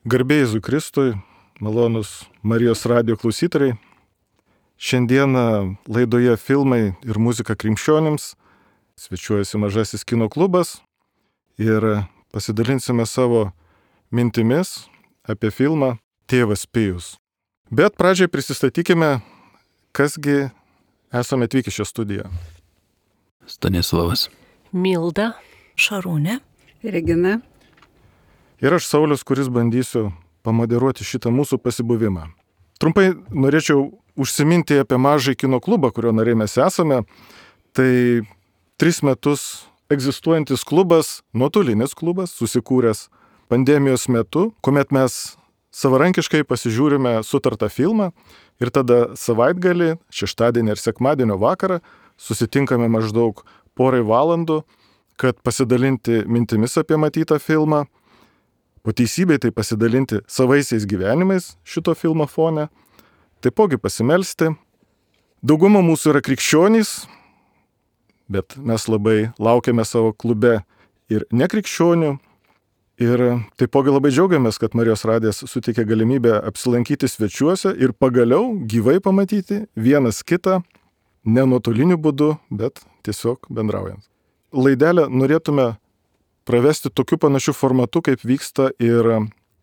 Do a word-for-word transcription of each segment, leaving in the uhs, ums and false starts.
Garbė Jėzui Kristui, malonus Marijos radijo klausytojai. Šiandieną laidoje filmai ir muzika krikščionims svečiuojasi Mažasis kino klubas ir pasidalinsime savo mintimis apie filmą Tėvas Pijus. Bet pradžiai prisistatykime, kasgi esame atvykę šią studiją. Stanislavas. Milda. Šarūnė. Regina. Ir aš Saulius, kuris bandysiu pamoderuoti šitą mūsų pasibuvimą. Trumpai norėčiau užsiminti apie Mažąjį kino klubą, kurio nariai mes esame. Tai tris metus egzistuojantis klubas, nuotolinis klubas, susikūręs pandemijos metu, kuomet mes savarankiškai pasižiūrime sutartą filmą ir tada savaitgalį, šeštadienį ir sekmadienio vakarą susitinkame maždaug porai valandų, kad pasidalinti mintimis apie matytą filmą, po teisybei tai pasidalinti savaisiais gyvenimais šito filmo fone, taipogi pasimelsti. Dauguma mūsų yra krikščionys, bet mes labai laukiame savo klube ir nekrikščionių. Ir taipogi labai džiaugiamės, kad Marijos radijas suteikė galimybę apsilankyti svečiuose ir pagaliau gyvai pamatyti vienas kitą, ne nuotoliniu būdu, bet tiesiog bendraujant. Laidelę norėtume pravesti tokiu panašiu formatu, kaip vyksta ir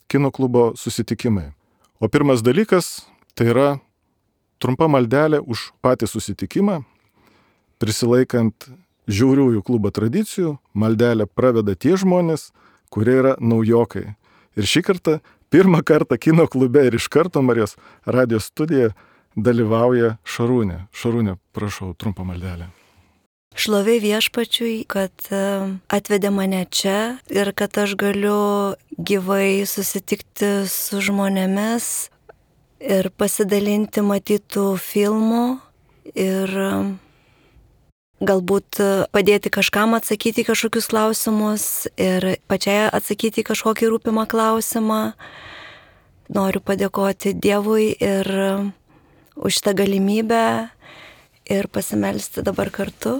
kino klubo susitikimai. O pirmas dalykas tai yra trumpa maldelė už patį susitikimą. Prisilaikant žiauriųjų klubo tradicijų, maldelę praveda tie žmonės, kurie yra naujokai. Ir šį kartą, pirmą kartą kino klube ir iš karto Marijos radijos studijoje dalyvauja Šarūnė. Šarūnė, prašau, trumpą maldelę. Šlovė viešpačiui, kad atvedė mane čia ir kad aš galiu gyvai susitikti su žmonėmis ir pasidalinti matytų filmų ir galbūt padėti kažkam atsakyti kažkokius klausimus ir pačiai atsakyti kažkokį rūpimą klausimą. Noriu padėkoti Dievui ir už šitą galimybę ir pasimelsti dabar kartu.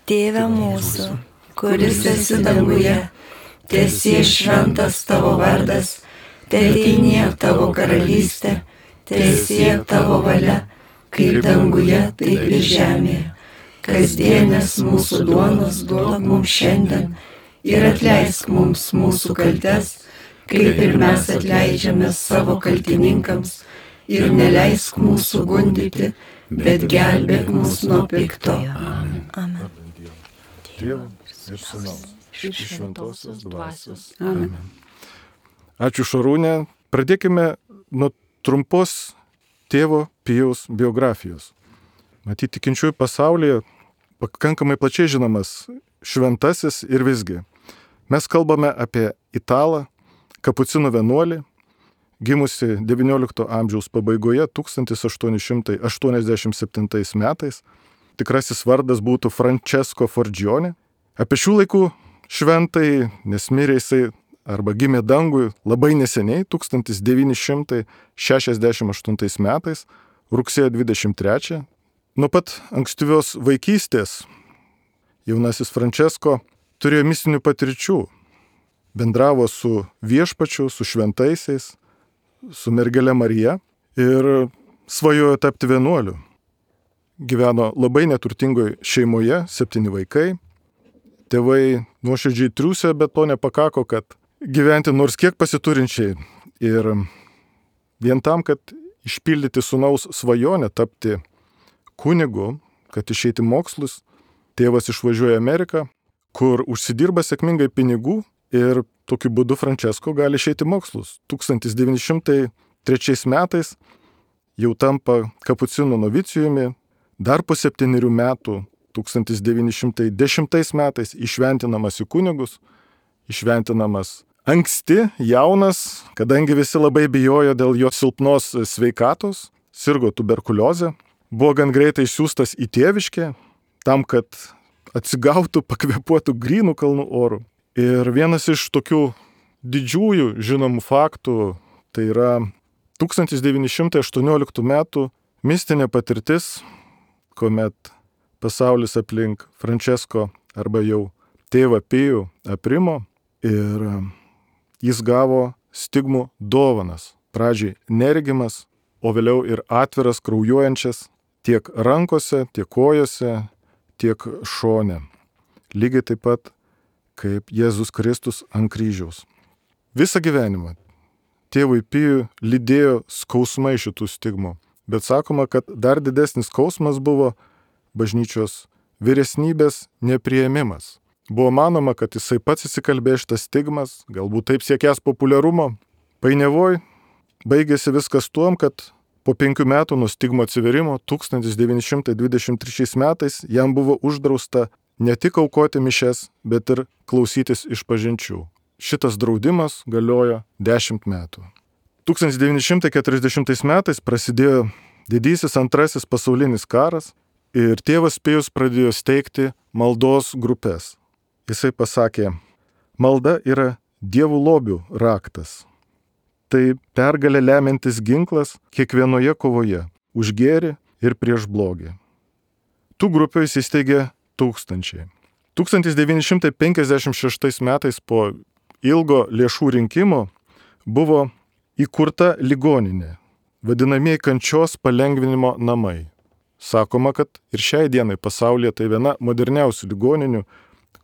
Tėve mūsų, kuris esi danguje, teesie šventas tavo vardas, teateinie tavo karalystė, teesie tavo valia, kaip danguje, taip ir žemėje. Kasdienės mūsų duonos duok mums šiandien ir atleisk mums mūsų kaltes, kaip ir mes atleidžiame savo kaltininkams, ir neleisk mūsų gundyti, bet gelbėk mus nuo pikto. Amen. Amen. Dievo ir Sūnaus, iš šventosios dvasios. Amen. Ačiū Šarūnė. Pradėkime nuo trumpos tėvo Pijaus biografijos. Matyt, tikinčiųjų pasaulyje pakankamai plačiai žinomas šventasis ir visgi. Mes kalbame apie italą, kapucinų vienuolį, gimusi devyniolikto amžiaus pabaigoje tūkstantis aštuoni šimtai aštuoniasdešimt septintais metais. Tikrasis vardas būtų Francesco Forgione. Apie šių laikų šventai, nes mirė jisai arba gimė dangui labai neseniai, tūkstantis devyni šimtai šešiasdešimt aštuntais metais, rugsėjo dvidešimt trečią. Nuo pat ankstyvios vaikystės jaunasis Francesco turėjo mistinių patirčių. Bendravo su viešpačiu, su šventaisiais, su mergele Marija ir svajojo tapti vienuoliu. Gyveno labai neturtingoje šeimoje, septyni vaikai. Tėvai nuoširdžiai triūsė, bet to nepakako, kad gyventi nors kiek pasiturinčiai. Ir vien tam, kad išpildyti sūnaus svajonę tapti kunigu, kad išeiti mokslus, tėvas išvažiuoja į Ameriką, kur užsidirba sėkmingai pinigų ir tokiu būdu Francesco gali išeiti mokslus. tūkstantis devyni šimtai trečiais metais jau tampa kapucinų novicijumi. Dar po septynerių metų, tūkstantis devyni šimtai dešimtais metais, išventinamas į kunigus, išventinamas anksti, jaunas, kadangi visi labai bijojo dėl jo silpnos sveikatos, sirgo tuberkuliozę, buvo gan greitai išsiųstas į Tėviškę, tam, kad atsigautų, pakvėpuotų grynų kalnų orų. Ir vienas iš tokių didžiųjų žinomų faktų, tai yra tūkstantis devyni šimtai aštuonioliktų metų mistinė patirtis, kuomet pasaulis aplink Francesco arba jau tėvą Pijų aprimo ir jis gavo stigmų dovanas. Pradžiai neregimas, o vėliau ir atviras kraujuojančias tiek rankose, tiek kojose, tiek šone. Lygiai taip pat kaip Jėzus Kristus ant kryžiaus. Visą gyvenimą tėvui Pijui lydėjo skausmai šitų stigmų, bet sakoma, kad dar didesnis skausmas buvo bažnyčios vyresnybės nepriėmimas. Buvo manoma, kad jisai pats įsikalbėjo šitas stigmas, galbūt taip siekęs populiarumo. Painiavoj baigėsi viskas tuom, kad po penkių metų nuo stigmo atsiverimo tūkstantis devyni šimtai dvidešimt trečiais metais jam buvo uždrausta ne tik aukoti mišias, bet ir klausytis išpažinčių. Šitas draudimas galiojo dešimt metų. tūkstantis devyni šimtai keturiasdešimtais metais prasidėjo didysis antrasis pasaulinis karas ir tėvas Pijus pradėjo steigti maldos grupės. Jisai pasakė, malda yra dievų lobių raktas. Tai pergalė lemiantis ginklas kiekvienoje kovoje už gėrį ir prieš blogį. Tų grupių jis įsteigė tūkstančiai. tūkstantis devyni šimtai penkiasdešimt šeštais metais po ilgo lėšų rinkimo buvo įkurta ligoninė, vadinamieji kančios palengvinimo namai. Sakoma, kad ir šiai dienai pasaulyje tai viena moderniausių ligoninių,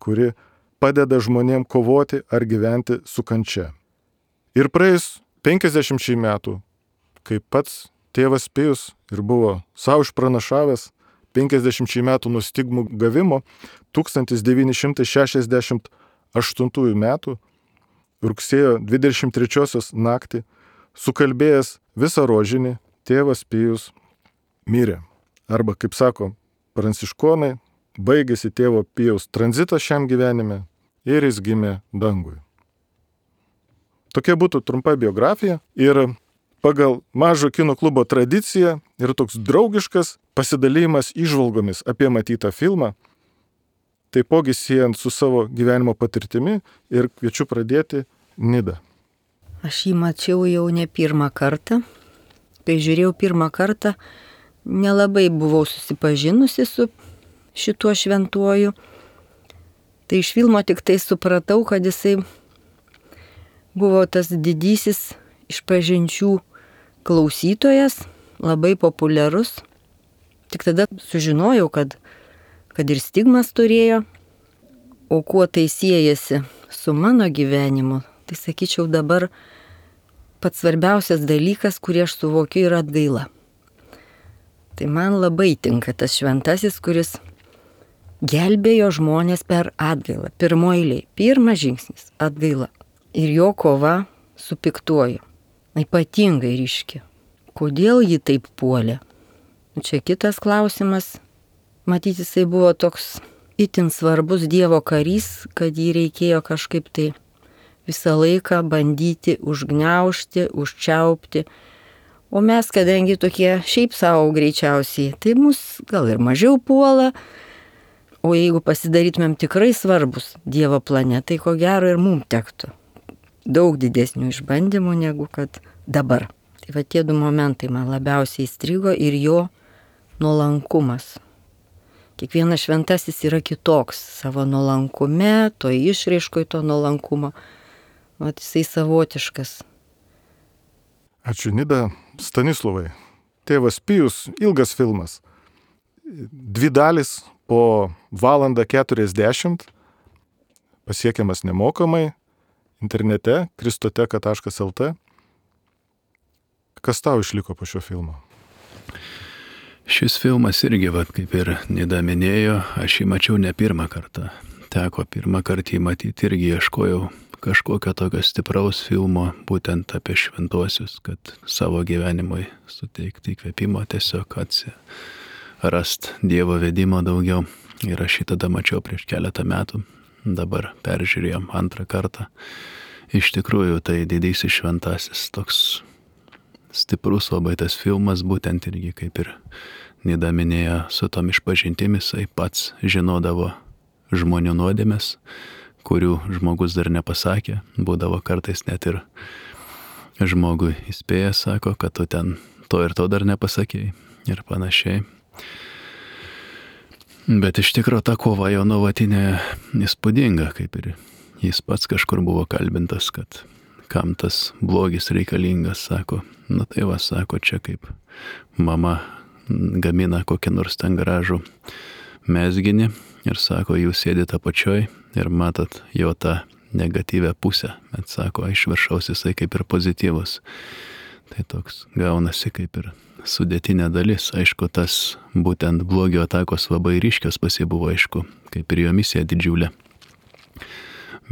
kuri padeda žmonėm kovoti ar gyventi su kančia. Ir praėjus penkiasdešimčiai metų, kai pats tėvas Pijus ir buvo savo išpranašavęs penkiasdešimčiai metų nuo stigmų gavimo, tūkstantis devyni šimtai šešiasdešimt aštuntųjų metų rugsėjo dvidešimt trečiosios naktį, sukalbėjęs visą rožinį, tėvas Pijus mirė. Arba, kaip sako pranciškonai, baigėsi tėvo Pijaus tranzitas šiam gyvenime ir jis gimė dangui. Tokia būtų trumpa biografija ir pagal Mažo kino klubo tradiciją ir toks draugiškas pasidalymas įžvalgomis apie matytą filmą, taipogi siejant su savo gyvenimo patirtimi ir kviečiu pradėti Nidą. Aš jį mačiau jau ne pirmą kartą. Kai žiūrėjau pirmą kartą, nelabai buvau susipažinusi su šituo šventuoju. Tai iš filmo tik tai supratau, kad jisai buvo tas didysis išpažinčių klausytojas, labai populiarus. Tik tada sužinojau, kad, kad ir stigmas turėjo. O kuo tai siejasi su mano gyvenimu, tai sakyčiau dabar pats svarbiausias dalykas, kurį aš suvokiu, yra atgaila. Tai man labai tinka tas šventasis, kuris gelbėjo žmonės per atgailą. Pirmo eilėj, pirmas žingsnis - atgaila. Ir jo kova su piktuoju. Ypatingai ryški. Kodėl jį taip puolė? Čia kitas klausimas. Matyt, jisai buvo toks itin svarbus Dievo karys, kad jį reikėjo kažkaip tai visą laiką bandyti užgniaužti, užčiaupti. O mes, kadangi tokie šiaip savo greičiausiai, tai mus gal ir mažiau puola. O jeigu pasidarytumėm tikrai svarbus Dievo plane, tai ko gero ir mums tektų daug didesnių išbandymų negu kad dabar. Tai va tie du momentai man labiausiai įstrigo ir jo nuolankumas. Kiekvienas šventasis yra kitoks savo nuolankume, to išraiškoj to nuolankumo. Vat jisai savotiškas. Ačiū Nida. Stanislovai. Tėvas Pijus, ilgas filmas. Dvi dalis po valandą keturiasdešimt, pasiekiamas nemokamai internete kristoteka taškas el te. Kas tau išliko po šio filmo? Šis filmas irgi, vat, kaip ir Nida minėjo, aš jį mačiau ne pirmą kartą. Teko pirmą kartą jį matyti irgi ieškojau kažkokio tokio stipraus filmo, būtent apie šventuosius, kad savo gyvenimui suteikti įkvėpimo, tiesiog atsirast Dievo vedimo daugiau. Ir aš jį tada mačiau prieš keletą metų, dabar peržiūrėjom antrą kartą. Iš tikrųjų, tai didysis šventasis, toks stiprus labai tas filmas, būtent irgi kaip ir Nida minėjo, su tom išpažintimis, jisai pats žinodavo žmonių nuodėmes, kurių žmogus dar nepasakė, būdavo kartais net ir žmogui įspėjęs, sako, kad tu ten to ir to dar nepasakėjai ir panašiai. Bet iš tikrųjų ta kova jo nuolatinė įspūdinga, kaip ir jis pats kažkur buvo kalbintas, kad kam tas blogis reikalingas, sako. Na tai va, sako, čia kaip mama gamina kokį nors ten gražų mezginį ir sako, jūs sėdite apačioj ir matot jo tą negatyvę pusę, bet sako, iš viršaus jisai kaip ir pozityvus. Tai toks gaunasi kaip ir sudėtinė dalis. Aišku, tas būtent blogio atakos labai ryškios pasibuvo, aišku, kaip ir jo misija didžiulė.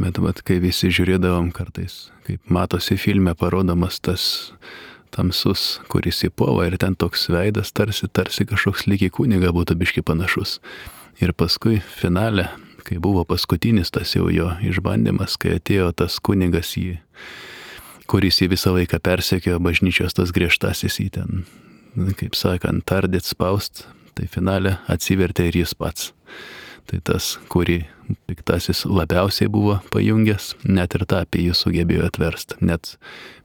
Bet vat, kai visi žiūrėdavom kartais, kaip matosi filme parodomas tas tamsus, kuris įpuola ir ten toks veidas tarsi, tarsi kažkoks lyg į kunigą būtų biški panašus. Ir paskui finale, kai buvo paskutinis tas jau jo išbandymas, kai atėjo tas kunigas jį, kuris jį visą laiką persekiojo bažnyčios tas griežtasis į ten, kaip sakant, tardėt spaust, tai finale atsivertė ir jis pats. Tai tas, kurį piktasis labiausiai buvo pajungęs, net ir tą apie jį sugebėjo atversti. Net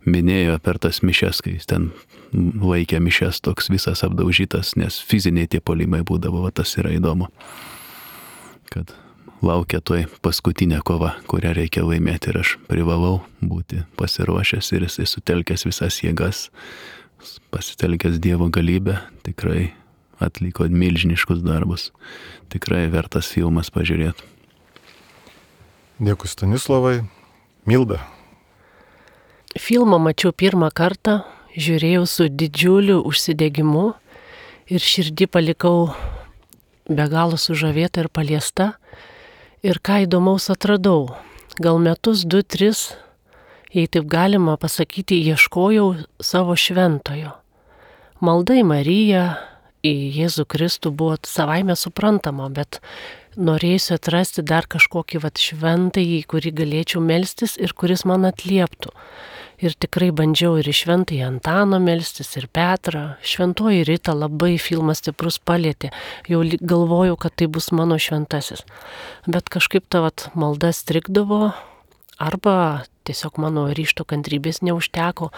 minėjo per tas mišes, kai jis ten laikė mišes toks visas apdaužytas, nes fiziniai tie puolimai būdavo, va, tas yra įdomu. Kad laukia toj paskutinė kova, kurią reikia laimėti ir aš privalau būti pasiruošęs ir jisai sutelkęs visas jėgas, pasitelkęs Dievo galybę, tikrai atliko milžiniškus darbus. Tikrai vertas filmas pažiūrėti. Dėkui Stanislavai. Milda. Filmą mačiau pirmą kartą, žiūrėjau su didžiuliu užsidegimu ir širdį palikau be galo sužavėta ir paliesta. Ir ką įdomaus atradau. Gal metus, du, tris, jei taip galima pasakyti, ieškojau savo šventojo. Malda į Mariją, į Jėzų Kristų buvo savaime suprantama, bet norėjusi atrasti dar kažkokį vat šventąjį, kurį galėčiau melstis ir kuris man atlieptų. Ir tikrai bandžiau ir į šventąjį Antaną melstis, ir Petrą. Šventoji Rita labai filmas stiprus palietė. Jau galvojau, kad tai bus mano šventasis. Bet kažkaip ta vat malda strigdavo, arba tiesiog mano ryžto kantrybės neužteko,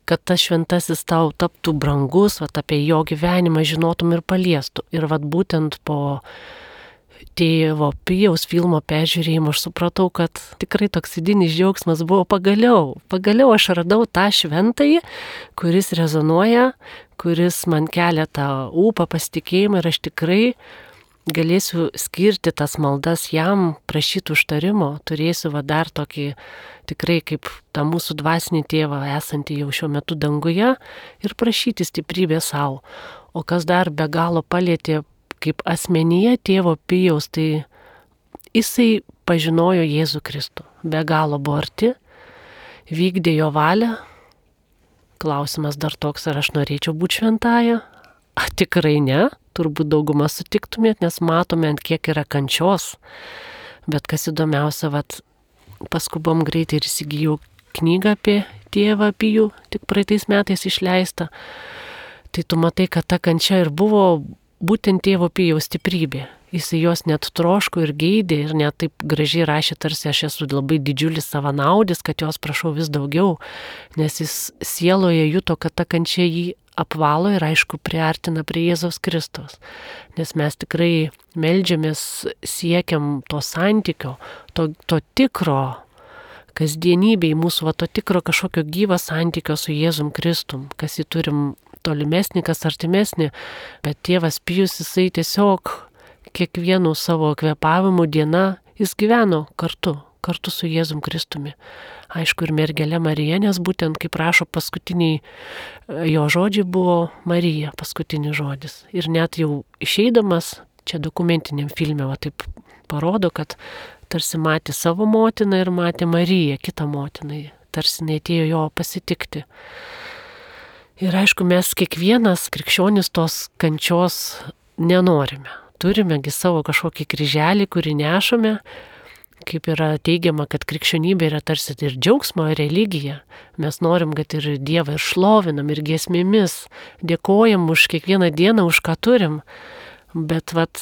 kad tas šventasis tau taptų brangus, vat apie jo gyvenimą žinotum ir paliestų. Ir vat būtent po tėvo Pijaus filmo peržiūrėjimo aš supratau, kad tikrai toks vidinis džiaugsmas buvo pagaliau. Pagaliau aš radau tą šventąjį, kuris rezonuoja, kuris man kelia tą ūpą, pasitikėjimą ir aš tikrai galėsiu skirti tas maldas jam, prašyti užtarimo, turėsiu va dar tokį tikrai kaip tą mūsų dvasinį tėvą esantį jau šiuo metu danguje ir prašyti stiprybę savo. O kas dar be galo palietė kaip asmenyje tėvo Pijaus, tai jisai pažinojo Jėzų Kristų, be galo buvo arti, vykdė jo valią. Klausimas dar toks, ar aš norėčiau būti šventąja? A, tikrai ne, turbūt daugumą sutiktumėt, nes matome, ant kiek yra kančios. Bet kas įdomiausia, vat, paskubom greitai ir įsigijau knygą apie tėvą Pijų, tik praeitais metais išleista. Tai tu matai, kad ta kančia ir buvo būtent tėvo Pijaus stiprybė. Jis jos net troško ir geidė ir net taip gražiai rašė, tarsi aš esu labai didžiulis savanaudis, kad jos prašau vis daugiau, nes jis sieloje juto, kad ta kančia jį apvalo ir aišku priartina prie Jėzaus Kristaus. Nes mes tikrai meldžiamės, siekiam to santykio, to, to tikro kasdienybėj mūsų, va, to tikro kažkokio gyvo santykio su Jėzum Kristum, kas jį turim tolimesnį, kas artimesnį, bet tėvas Pijus jisai tiesiog kiekvienų savo kvėpavimų diena jis gyveno kartu, kartu su Jėzum Kristumi. Aišku, ir mergelė Marija, nes būtent, kaip rašo paskutiniai jo žodžiai, buvo Marija paskutinis žodis. Ir net jau išeidamas, čia dokumentiniam filme, va taip parodo, kad tarsi matė savo motiną ir matė Mariją, kitą motiną, tarsi neatėjo jo pasitikti. Ir aišku, mes kiekvienas krikščionis tos kančios nenorime. Turimegi savo kažkokį kryželį, kurį nešame, kaip yra teigiama, kad krikščionybė yra tarsi ir džiaugsmo religija. Mes norim, kad ir Dievą ir šlovinam, ir giesmėmis, dėkojam už kiekvieną dieną, už ką turim. Bet vat,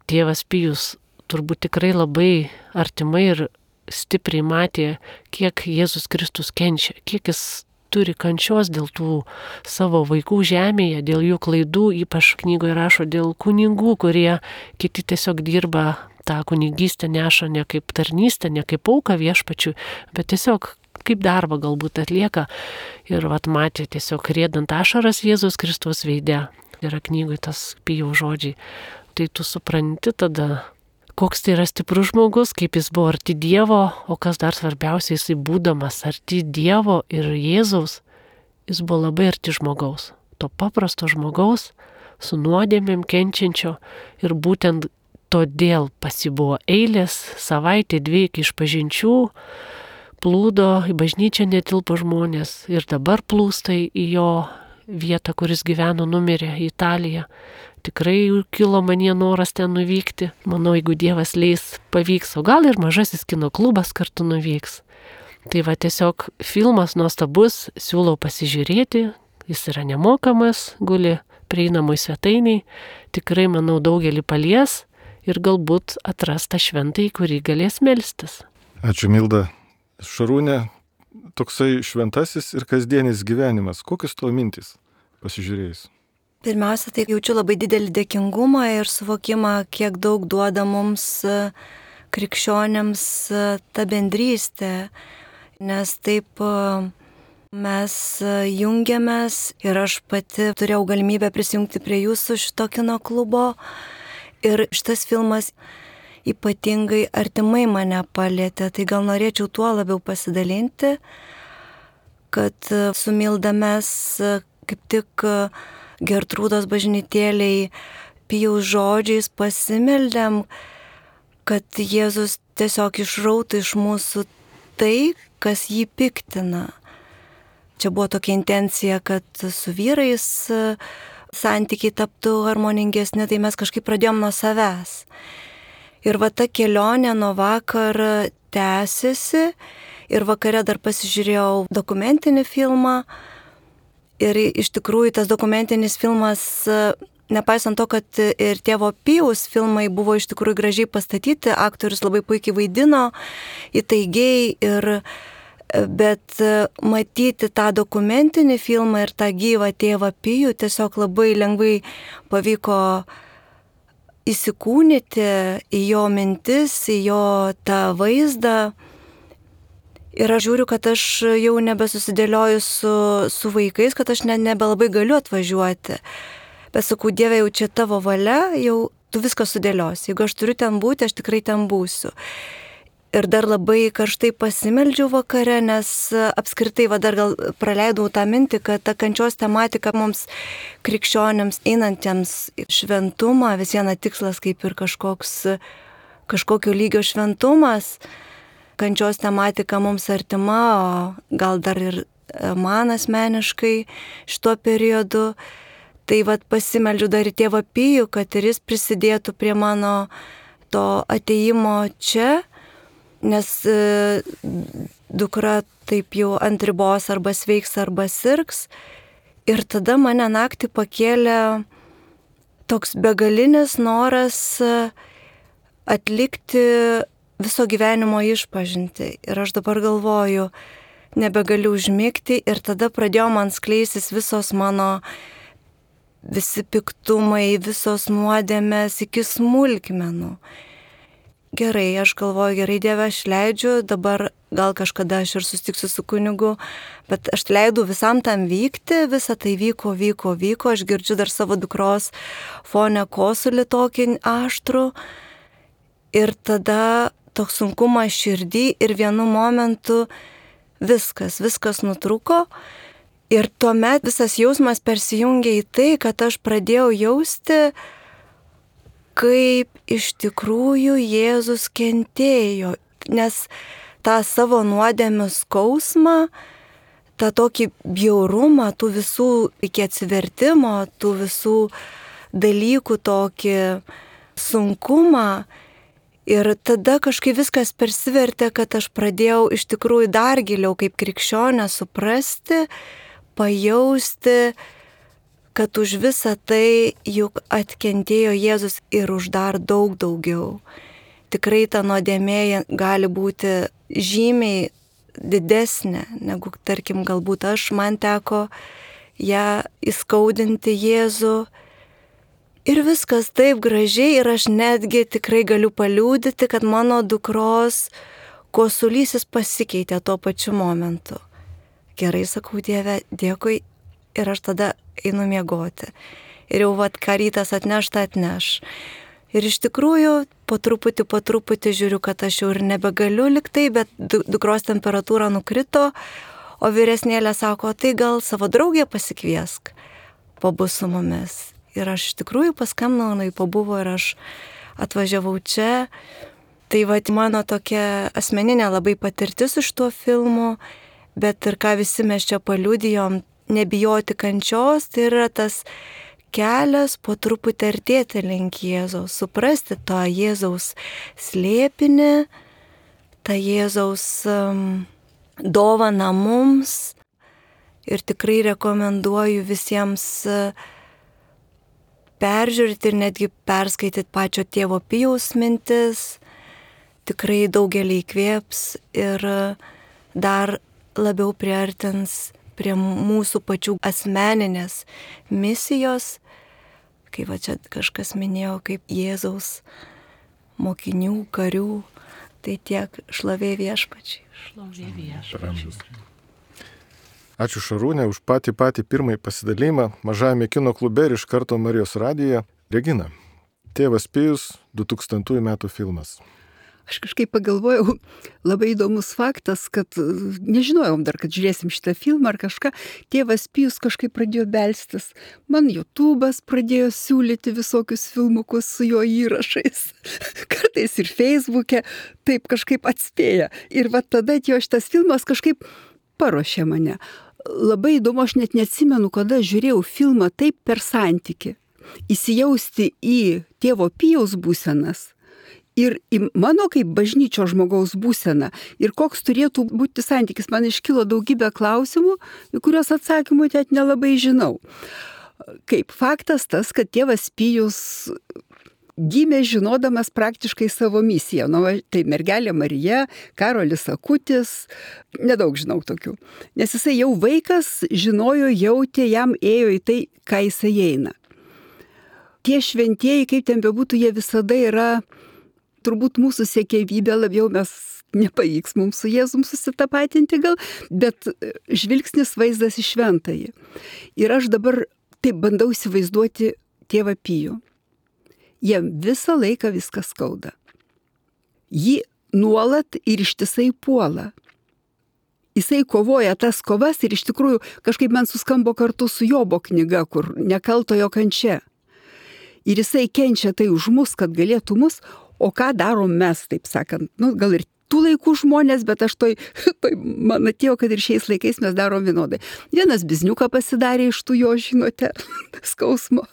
tėvas Pijus turbūt tikrai labai artimai ir stipriai matė, kiek Jėzus Kristus kenčia, kiek jis turi kančios dėl tų savo vaikų žemėje, dėl jų klaidų, ypač knygoje rašo dėl kunigų, kurie kiti tiesiog dirba tą kunigystę, neša ne kaip tarnystę, ne kaip auką viešpačiui, bet tiesiog kaip darbą galbūt atlieka. Ir vat matė tiesiog riedant ašaras Jėzus Kristaus veide. Yra knygui tas Pijaus žodžiai. Tai tu supranti tada, koks tai yra stiprus žmogus, kaip jis buvo arti Dievo, o kas dar svarbiausia, jisai būdamas arti Dievo ir Jėzaus, jis buvo labai arti žmogaus. To paprasto žmogaus, su nuodėmėm kenčiančio, ir būtent todėl pasibuvo eilės, savaitė, dvi iki išpažinčių, plūdo, į bažnyčią netilpo žmonės ir dabar plūsta į jo vietą, kuris gyveno, numirė, į Italiją. Tikrai kilo manie noras ten nuvykti. Manau, jeigu Dievas leis, pavyks, o gal ir mažasis kino klubas kartu nuvyks. Tai va tiesiog filmas nuostabus, siūlau pasižiūrėti, jis yra nemokamas, guli prieinamoj svetainiai, tikrai, manau, daugelį palies ir galbūt atras tą šventąjį, kurį galės melstis. Ačiū, Milda. Šarūnė, toksai šventasis ir kasdienis gyvenimas. Kokios tavo mintys pasižiūrėjus? Pirmiausia, tai jaučiu labai didelį dėkingumą ir suvokimą, kiek daug duoda mums krikščionėms ta bendrystė, nes taip mes jungiamės ir aš pati turėjau galimybę prisijungti prie jūsų šito kino klubo ir šitas filmas ypatingai artimai mane palietė, tai gal norėčiau tuo labiau pasidalinti, kad su Milda mes kaip tik Gertrūdos bažnytėliai Pijaus žodžiais pasimeldėm, kad Jėzus tiesiog išrautų iš mūsų tai, kas jį piktina. Čia buvo tokia intencija, kad su vyrais santykiai taptų harmoningesni, tai mes kažkaip pradėjom nuo savęs. Ir va ta kelionė nuo vakar tęsiasi ir vakare dar pasižiūrėjau dokumentinį filmą. Ir iš tikrųjų tas dokumentinis filmas, nepaisant to, kad ir tėvo Pijaus filmai buvo iš tikrųjų gražiai pastatyti, aktorius labai puikiai vaidino, įtaigiai, ir, bet matyti tą dokumentinį filmą ir tą gyvą tėvą Pijų tiesiog labai lengvai pavyko įsikūnyti į jo mintis, į jo tą vaizdą. Ir aš žiūriu, kad aš jau nebesusidėlioju su, su vaikais, kad aš ne, nebelabai galiu atvažiuoti. Bet sakau, Dieve, jau čia tavo valia, jau tu viską sudėliosi. Jeigu aš turiu ten būti, aš tikrai ten būsiu. Ir dar labai karštai pasimeldžiau vakare, nes apskritai, va dar gal praleidau tą mintį, kad ta kančios tematika mums krikščionėms einantiems šventumą, vis viena tikslas kaip ir kažkoks, kažkokio lygio šventumas. Kančios tematika mums artima, o gal dar ir man asmeniškai šituo periodu. Tai vat pasimeldžiu dar į tėvą Pijų, kad ir jis prisidėtų prie mano to ateimo čia, nes e, dukra taip jau ant ribos arba sveiks, arba sirgs. Ir tada mane naktį pakėlė toks begalinis noras atlikti viso gyvenimo išpažinti. Ir aš dabar galvoju, nebegaliu užmigti, ir tada pradėjo man skleistis visos mano visi piktumai, visos nuodėmės iki smulkmenų. Gerai, aš galvoju, gerai, Dieve, aš leidžiu, dabar gal kažkada aš ir susitiksiu su kunigu, bet aš leidau visam tam vykti, visa tai vyko, vyko, vyko, aš girdžiu dar savo dukros fone kosulį tokį aštrų, ir tada toks sunkumas širdį, ir vienu momentu viskas, viskas nutrūko, ir tuomet visas jausmas persijungė į tai, kad aš pradėjau jausti, kaip iš tikrųjų Jėzus kentėjo, nes tą savo nuodėmių skausmą, tą tokį bjaurumą, tų visų iki atsivertimo, tų visų dalykų tokį sunkumą. Ir tada kažkaip viskas persivertė, kad aš pradėjau iš tikrųjų dar giliau kaip krikščionė suprasti, pajausti, kad už visą tai juk atkentėjo Jėzus ir už dar daug daugiau. Tikrai ta nuodėmė gali būti žymiai didesnė, negu, tarkim, galbūt aš, man teko ją įskaudinti Jėzų. Ir viskas taip gražiai, ir aš netgi tikrai galiu paliūdyti, kad mano dukros kosulys jis pasikeitė tuo pačiu momentu. Gerai, sakau, Dieve, dėkui, ir aš tada einu miegoti. Ir jau vat, ką rytas atneš, tą atneš. Ir iš tikrųjų, po truputį, po truputį žiūriu, kad aš jau ir nebegaliu liktai, bet dukros temperatūra nukrito, o vyresnėlė sako, tai gal savo draugę pasikviesk, pabus su mumis. Ir aš iš tikrųjų paskambinau, jinai pabuvo ir aš atvažiavau čia. Tai va, mano tokia asmeninė labai patirtis iš tuo filmu, bet ir ką visi mes čia paliudijom, nebijoti kančios, tai yra tas kelias po truputį artėti link Jėzaus, suprasti tą Jėzaus slėpinį, tą Jėzaus um, dovaną mums. Ir tikrai rekomenduoju visiems uh, peržiūrėti ir netgi perskaityti pačio tėvo Pijaus mintis. Tikrai daugelį įkvėps ir dar labiau priartins prie mūsų pačių asmeninės misijos, kaip va čia kažkas minėjo, kaip Jėzaus mokinių, karių, tai tiek šlovė viešpačiai. Šlovė viešpačiai. Ačiū Šarūnė už patį patį pirmąjį pasidalymą mažajame kino klube ir iš karto Marijos radijoje. Regina, Tėvas Pijus, du tūkstantųjų metų filmas. Aš kažkaip pagalvojau, labai įdomus faktas, kad nežinojom dar, kad žiūrėsim šitą filmą ar kažką. Tėvas Pijus kažkaip pradėjo belstis. Man YouTube'as pradėjo siūlyti visokius filmukus su jo įrašais. Kartais ir Facebook'e taip kažkaip atspėja. Ir va tada atėjo šitas filmas kažkaip paruošė mane. Labai įdomu, aš net neatsimenu, kada žiūrėjau filmą taip per santykį. Įsijausti į tėvo Pijaus būsenas. Ir į mano kaip bažnyčio žmogaus būseną. Ir koks turėtų būti santykis. Man iškilo daugybė klausimų, į kuriuos atsakymų net nelabai žinau. Kaip faktas tas, kad tėvas Pijus gimė žinodamas praktiškai savo misiją. Nu, tai mergelė Marija, Karolis Akutis, nedaug žinau tokių. Nes jisai jau vaikas žinojo, jautė, jam ėjo į tai, ką jisai eina. Tie šventieji, kaip ten bebūtų, jie visada yra turbūt mūsų siekėjybė, labiau mes nepavyks mums su Jėzum susitapatinti gal, bet žvilgsnis vaizdas į šventąjį. Ir aš dabar taip bandau įsivaizduoti tėvą Pijų. Jiem visą laiką viskas skauda. Jį nuolat ir ištisai puola. Jisai kovoja tas kovas ir iš tikrųjų kažkaip man suskambo kartu su Jobo knyga, kur nekaltojo kančia. Ir jisai kenčia tai už mus, kad galėtų mus. O ką darom mes, taip sakant, nu, gal ir tų laikų žmonės, bet aš toj, toj man atėjo, kad ir šiais laikais mes darom vienodai. Vienas bizniuką pasidarė iš tų jo, žinote, skausmo.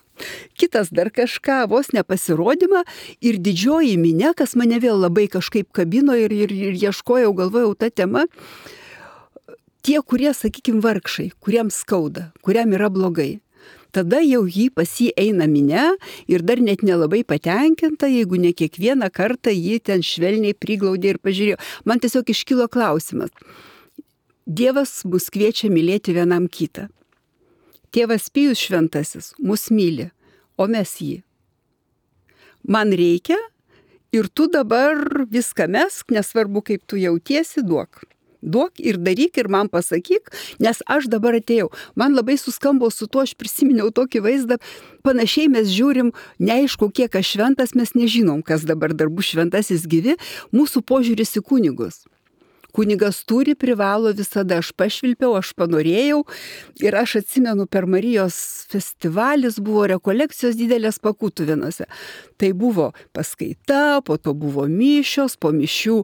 Kitas dar kažką, vos nepasirodymą ir didžioji minia, kas mane vėl labai kažkaip kabino ir, ir, ir ieškojau, galvojau tą temą. Tie, kurie, sakykim, vargšai, kuriems skauda, kuriam yra blogai. Tada jau jį pas jį eina minia ir dar net nelabai patenkinta, jeigu ne kiekvieną kartą jį ten švelniai priglaudė ir pažiūrėjo. Man tiesiog iškilo klausimas. Dievas mus kviečia mylėti vienam kitą. Tėvas Pijus šventasis mus myli, o mes jį. Man reikia ir tu dabar viską mesk, nesvarbu kaip tu jautiesi, duok. Duok ir daryk ir man pasakyk, nes aš dabar atėjau. Man labai suskambo su tuo, aš prisiminiau tokį vaizdą, panašiai mes žiūrim, neaišku, kiek aš šventas, mes nežinom, kas dabar dar bus šventasis gyvi, mūsų požiūris į kunigus. Kunigas turi, privalo visada, aš pašvilpiau, aš panorėjau ir aš atsimenu, per Marijos festivalis buvo rekolekcijos didelės Pakūtuvinuose. Tai buvo paskaita, po to buvo mišios, po mišių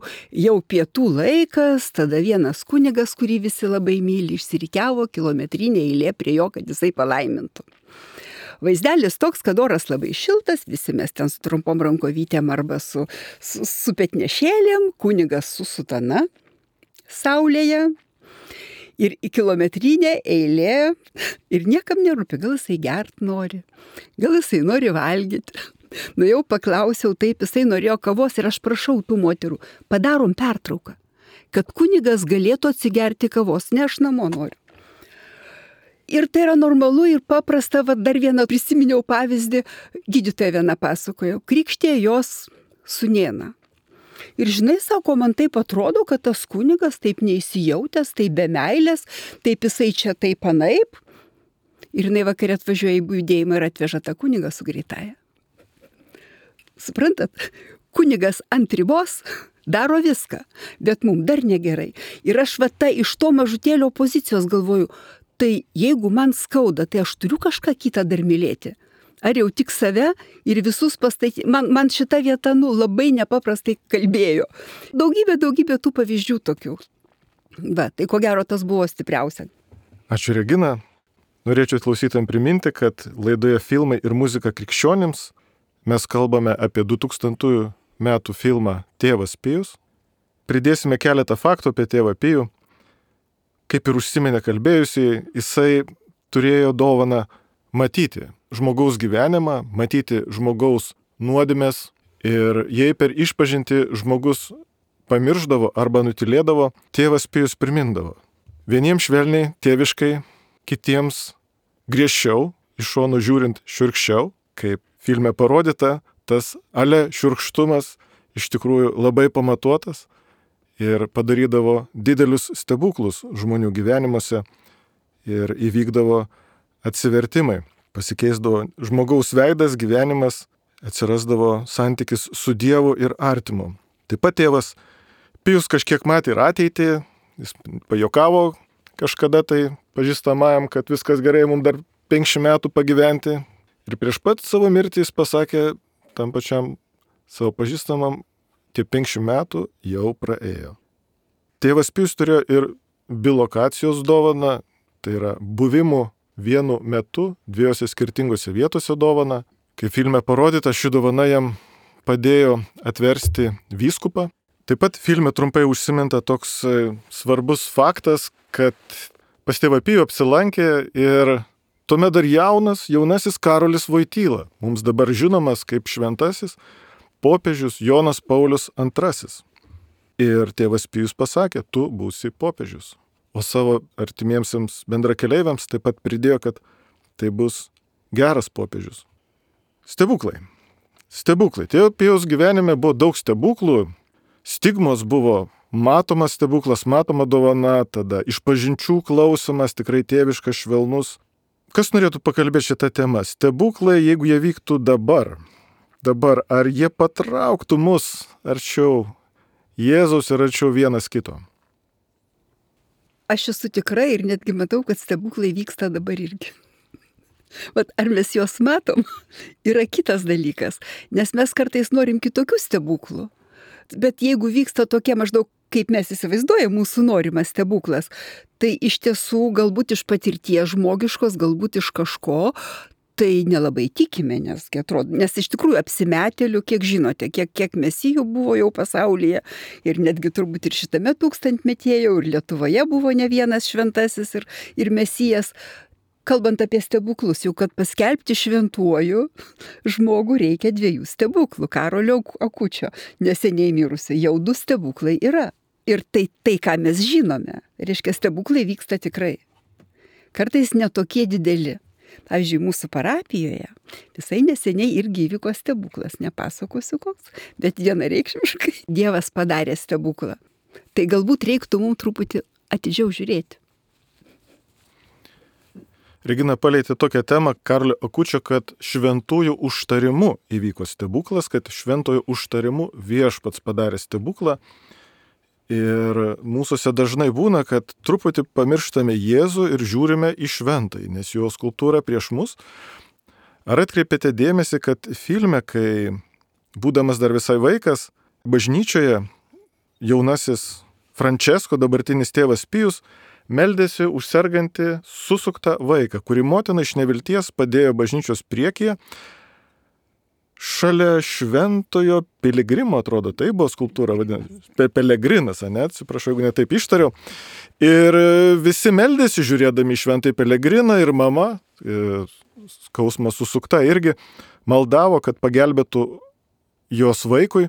jau pietų laikas, tada vienas kunigas, kurį visi labai myli, išsirikiavo kilometrinė eilė prie jo, kad jisai palaimintų. Vaizdelis toks, kad oras labai šiltas, visi mes ten su trumpom rankovytėm arba su, su, su petnešėlėm, kunigas su sutana saulėje ir į kilometrinę eilė ir niekam nerūpi, gal jisai gert nori, gal jisai nori valgyti. Nu jau paklausiau, taip jisai norėjo kavos ir aš prašau tų moterų, padarom pertrauką, kad kunigas galėtų atsigerti kavos, ne aš namo noriu. Ir tai yra normalu ir paprasta, va dar vieną prisiminiau pavyzdį, gydytoja viena pasakojo, krikštė jos sūnėną. Ir žinai, sako, man taip atrodo, kad tas kunigas taip neįsijautęs, taip be meilės, taip jisai čia taip anaip. Ir jinai vakarė atvažiuoja į judėjimą ir atveža tą kunigą su greitąja. Suprantat, kunigas ant ribos daro viską, bet mums dar negerai. Ir aš va ta iš to mažutėlio pozicijos galvoju, tai jeigu man skauda, tai aš turiu kažką kitą dar mylėti. Ar jau tik save ir visus pastatyti. Man, man šita vieta, nu, labai nepaprastai kalbėjo. Daugybė, daugybė tų pavyzdžių tokių. Va, tai ko gero tas buvo stipriausia. Ačiū, Regina. Norėčiau klausytojams priminti, kad laidoje Filmai ir muzika krikščionims mes kalbame apie du tūkstantųjų metų filmą Tėvas Pijus. Pridėsime keletą faktų apie Tėvą Pijų. Kaip ir užsiminė kalbėjusiai, jisai turėjo dovaną matyti žmogaus gyvenimą, matyti žmogaus nuodėmes ir jei per išpažinti žmogus pamirždavo arba nutilėdavo, Tėvas Pijus primindavo. Vieniems švelniai, tėviškai, kitiems griežčiau, iš šonų žiūrint šiurkščiau, kaip filme parodyta, tas ale šiurkštumas iš tikrųjų labai pamatuotas ir padarydavo didelius stebuklus žmonių gyvenimuose ir įvykdavo atsivertimai. Pasikeisdavo žmogaus veidas, gyvenimas, atsirasdavo santykis su Dievu ir artimu. Taip pat Tėvas Pijus kažkiek matė ir ateitį, jis pajokavo kažkada tai pažįstamajam, kad viskas gerai, mums dar penkiasdešimt metų pagyventi. Ir prieš pat savo mirtį jis pasakė tam pačiam savo pažįstamam, tie penkiasdešimt metų jau praėjo. Tėvas Pijus turėjo ir bilokacijos dovaną, tai yra buvimų vienu metu dviejose skirtingose vietose dovana. Kai filme parodyta, ši dovana jam padėjo atversti vyskupą. Taip pat filme trumpai užsiminta toks svarbus faktas, kad pas Tėvą Pijų apsilankė ir tuomet dar jaunas, jaunasis Karolis Voityla, mums dabar žinomas kaip šventasis popiežius Jonas Paulius antrasis. Ir Tėvas Pijus pasakė, tu būsi popiežius. O savo artimiemsiams bendrakeleiviams taip pat pridėjo, kad tai bus geras popiežius. Stebuklai. Stebuklai. Tėvo Pijaus gyvenime buvo daug stebuklų. Stigmos buvo matomas stebuklas, matoma dovana, tada išpažinčių klausimas, tikrai tėviškas, švelnus. Kas norėtų pakalbėti šitą temą? Stebuklai, jeigu jie vyktų dabar. Dabar, ar jie patrauktų mus arčiau Jėzaus ir arčiau vienas kito? Aš esu tikra ir netgi matau, kad stebuklai vyksta dabar irgi. Vat ar mes juos matom, yra kitas dalykas, nes mes kartais norim kitokių stebuklų. Bet jeigu vyksta tokie maždaug, kaip mes įsivaizduojame mūsų norimas stebuklas, tai iš tiesų galbūt iš patirties žmogiškos, galbūt iš kažko, tai nelabai tikime, nes, atrodo, nes iš tikrųjų apsimetėlių, kiek žinote, kiek, kiek mesijų buvo jau pasaulyje ir netgi turbūt ir šitame tūkstantmetyje jau ir Lietuvoje buvo ne vienas šventasis ir, ir mesijas. Kalbant apie stebuklus, jau kad paskelbti šventuoju žmogų reikia dviejų stebuklų. Karolio Akučio neseniai mirusio jau du stebuklai yra. Ir tai, tai ką mes žinome, reiškia stebuklai vyksta tikrai. Kartais netokie dideli. Pavyzdžiui, mūsų parapijoje visai neseniai irgi įvyko stebuklas, nepasakosiu koks, bet vienareikšmiškai Dievas padarė stebuklą. Tai galbūt reiktų mums truputį atidžiau žiūrėti. Regina palietė tokią temą Karolio Akučio, kad šventųjų užtarimu įvyko stebuklas, kad šventojo užtarimu viešpats padarė stebuklą. Ir mūsųse dažnai būna, kad truputį pamirštame Jėzų ir žiūrime į šventąjį, nes jo skulptūra prieš mus. Ar atkreipėte dėmesį, kad filme, kai būdamas dar visai vaikas, bažnyčioje jaunasis Frančesko, dabartinis Tėvas Pijus, meldėsi už sergantį susuktą vaiką, kurį motina iš nevilties padėjo bažnyčios priekyje, šalia šventojo piligrimo, atrodo, tai buvo skulptūra, vadinasi, pelegrinas, ne, atsiprašau, jeigu ne taip ištariau. Ir visi meldėsi žiūrėdami šventąjį pelegriną ir mama, skausmas susukta irgi, maldavo, kad pagelbėtų jos vaikui.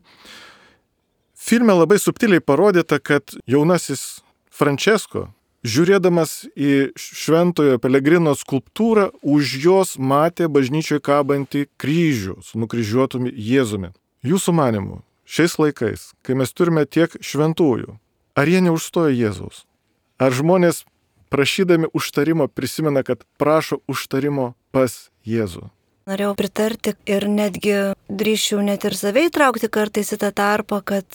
Filme labai subtiliai parodyta, kad jaunasis Frančesko, žiūrėdamas į šventojo pelegrino skulptūrą, už jos matė bažnyčioje kabantį kryžių su nukryžiuotumi Jėzumi. Jūsų manimu, šiais laikais, kai mes turime tiek šventųjų, ar jie neužstoja Jėzaus? Ar žmonės prašydami užtarimo prisimena, kad prašo užtarimo pas Jėzų? Norėjau pritarti ir netgi drįščiau net ir save įtraukti kartais į tą tarpą, kad,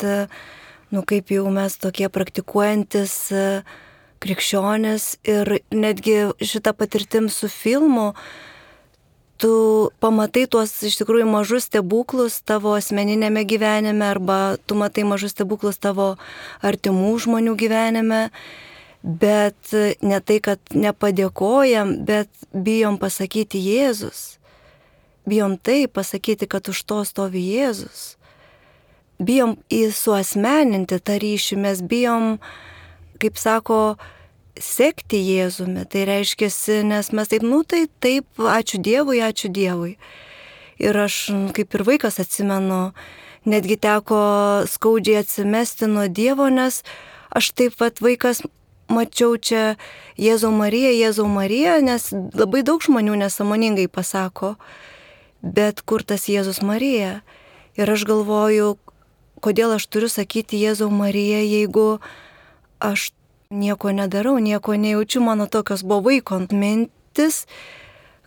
nu kaip jau mes tokie praktikuojantis krikščionys ir netgi šitą patirtim su filmu, tu pamatai tuos iš tikrųjų mažus stebuklus tavo asmeninėme gyvenime arba tu matai mažus stebuklus tavo artimų žmonių gyvenime, bet ne tai, kad nepadėkojam, bet bijom pasakyti Jėzus. Bijom tai pasakyti, kad už to stovi Jėzus. Bijom įsuasmeninti tą ryšį, mes bijom, kaip sako, sekti Jėzumi. Tai reiškia, nes mes taip, nu tai taip, ačiū Dievui, ačiū Dievui. Ir aš kaip ir vaikas atsimenu, netgi teko skaudžiai atsimesti nuo Dievo, nes aš taip pat vaikas mačiau čia Jėzau Marija, Jėzau Marija, nes labai daug žmonių nesąmoningai pasako, bet kur tas Jėzus Marija? Ir aš galvoju, kodėl aš turiu sakyti Jėzau Marija, jeigu aš nieko nedarau, nieko nejaučiu, mano tokios buvo vaiko mintis,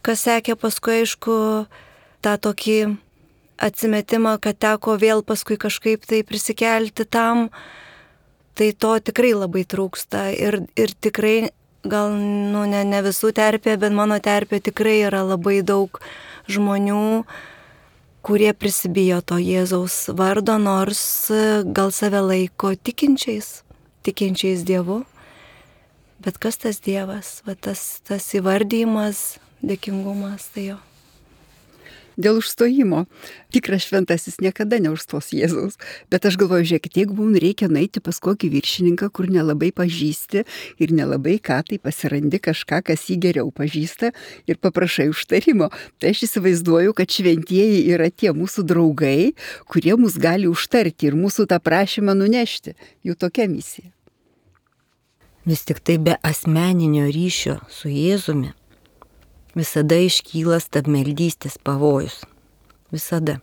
kas sekė paskui, aišku, tą tokį atsimetimą, kad teko vėl paskui kažkaip tai prisikelti tam, tai to tikrai labai trūksta ir, ir tikrai, gal nu, ne, ne visų terpė, bet mano terpė tikrai yra labai daug žmonių, kurie prisibijo to Jėzaus vardo, nors gal save laiko tikinčiais, tikinčiais Dievu. Bet kas tas Dievas, va tas, tas įvardymas, dėkingumas, tai jo. Dėl užstojimo. Tikras šventasis niekada neužstos Jėzaus. Bet aš galvoju, žiūrėkit, jeigu mums reikia nueiti pas kokį viršininką, kur nelabai pažįsti ir nelabai ką, tai pasirandi kažką, kas jį geriau pažįsta ir paprašai užtarimo. Tai aš įsivaizduoju, kad šventieji yra tie mūsų draugai, kurie mus gali užtarti ir mūsų tą prašymą nunešti. Jų tokia misija. Vis tik tai be asmeninio ryšio su Jėzumi visada iškyla stabmeldystės pavojus. Visada.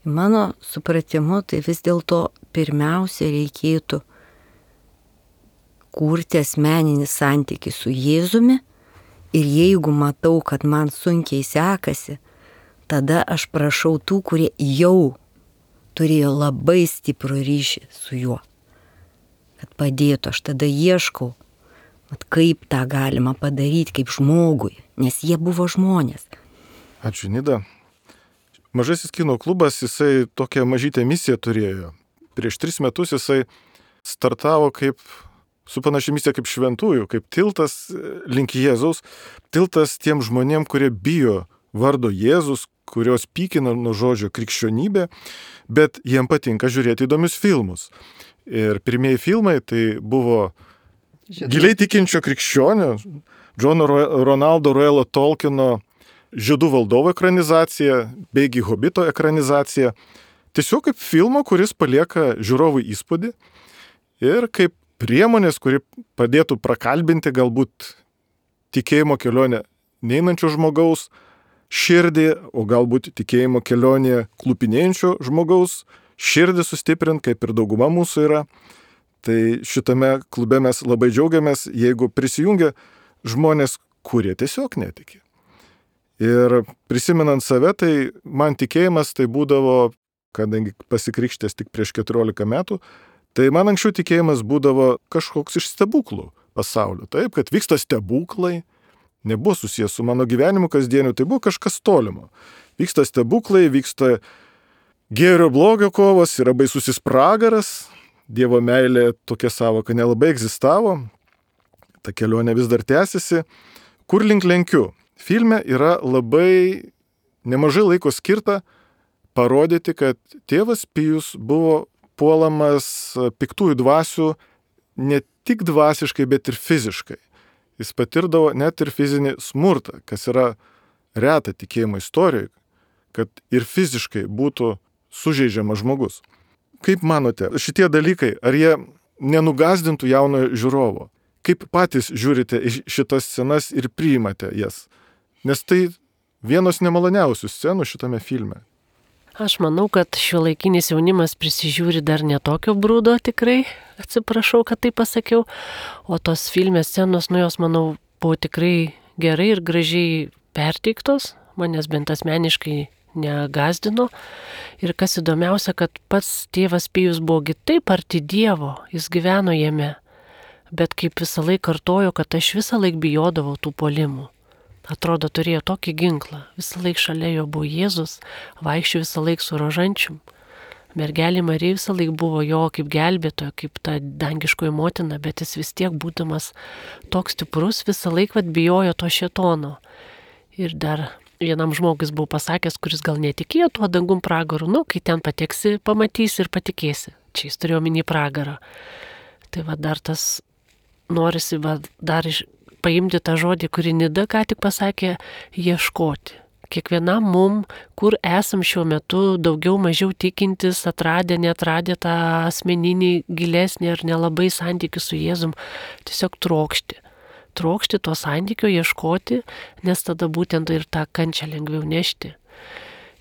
Mano supratimu, tai vis dėlto pirmiausia reikėtų kurti asmeninį santykį su Jėzumi ir jeigu matau, kad man sunkiai sekasi, tada aš prašau tų, kurie jau turėjo labai stiprų ryšį su juo. Kad padėtų, aš tada ieškau, vat kaip tą galima padaryti kaip žmogui, nes jie buvo žmonės. Ačiū, Nida. Mažasis kino klubas, jisai tokią mažytę misiją turėjo. Prieš tris metus jisai startavo kaip, su panašia misija kaip šventųjų, kaip tiltas link Jėzaus, tiltas tiem žmonėm, kurie bijo vardo Jėzus, kurios pykina nuo žodžio krikščionybė, bet jiem patinka žiūrėti įdomius filmus. Ir pirmieji filmai tai buvo Žinau. Giliai tikinčio krikščionio, Džono Ronaldo Royalo Tolkieno Žiedų valdovo ekranizacija, beigi Hobito ekranizacija. Tiesiog kaip filmo, kuris palieka žiūrovui įspūdį ir kaip priemonės, kuri padėtų prakalbinti galbūt tikėjimo kelionę neinančio žmogaus širdį, o galbūt tikėjimo kelionė klupinėjančio žmogaus širdį sustiprint, kaip ir dauguma mūsų yra. Tai šitame klube mes labai džiaugiamės, jeigu prisijungia žmonės, kurie tiesiog netiki. Ir prisimenant save, tai man tikėjimas tai būdavo, kadangi pasikrikštęs tik prieš keturiolika metų, tai man anksčiau tikėjimas būdavo kažkoks iš stebuklų pasaulio. Taip, kad vyksta stebuklai, nebuvo susijęs su mano gyvenimu kasdieniu, tai buvo kažkas tolimo. Vyksta stebuklai, vyksta gėrio blogio kovos, yra baisusis pragaras, Dievo meilė tokia savoka nelabai egzistavo, ta kelionė vis dar tęsiasi. Kur link lenkiu? Filme yra labai nemažai laiko skirta parodyti, kad tėvas Pijus buvo puolamas piktųjų dvasių ne tik dvasiškai, bet ir fiziškai. Jis patirdavo net ir fizinį smurtą, kas yra reta tikėjimo istorijoje, kad ir fiziškai būtų sužeidžiamas žmogus. Kaip manote, šitie dalykai, ar jie nenugazdintų jaunojo žiūrovo? Kaip patys žiūrite į šitas scenas ir priimate jas? Nes tai vienos nemaloniausių scenų šitame filme. Aš manau, kad šiuolaikinis jaunimas prisižiūri dar netokio brūdo tikrai, atsiprašau, kad tai pasakiau, o tos filmės scenos, nu jos, manau, buvo tikrai gerai ir gražiai perteiktos, manęs bent asmeniškai negazdino. Ir kas įdomiausia, kad pats tėvas Pijus buvo taip arti Dievo, jis gyveno jame, bet kaip visą laiką kartojo, kad aš visą laiką bijodavau tų puolimų. Atrodo, turėjo tokį ginklą, visą laiką šalia jo buvo Jėzus, vaikščio visą laiką su rožančium. Mergelė Marija visą laiką buvo jo kaip gelbėtoja, kaip ta dangiškoji motina, bet jis vis tiek būdamas toks stiprus, visą laiką bijojo to šėtono. Ir dar vienam žmogus buvo pasakęs, kuris gal netikėjo tuo dangum pragaru, nu, kai ten pateksi, pamatysi ir patikėsi. Čia jis turėjo minį pragarą. Tai va dar tas norisi va, dar iš, paimti tą žodį, kurį Nida ką tik pasakė, ieškoti. Kiekvienam mum, kur esam šiuo metu, daugiau mažiau tikintis, atradę, neatradę tą asmeninį gilesnį ar nelabai santykių su Jėzum, tiesiog trokšti. Trokšti to santykio, ieškoti, nes tada būtent ir tą kančią lengviau nešti.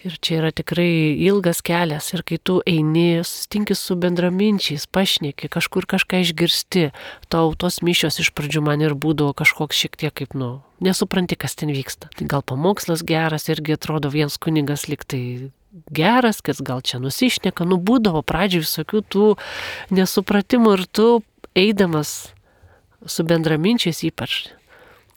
Ir čia yra tikrai ilgas kelias ir kai tu eini, sustinki su bendraminčiais, pašneki, kažkur kažką išgirsti, tau tos mišios iš pradžių man ir būdavo kažkoks šiek tiek kaip, nu, nesupranti, kas ten vyksta. Tai gal pamokslas geras, irgi atrodo vienas kunigas liktai geras, kas gal čia nusišneka, nu būdavo pradžių visokių tų nesupratimų ir tu eidamas su bendraminčiais ypač.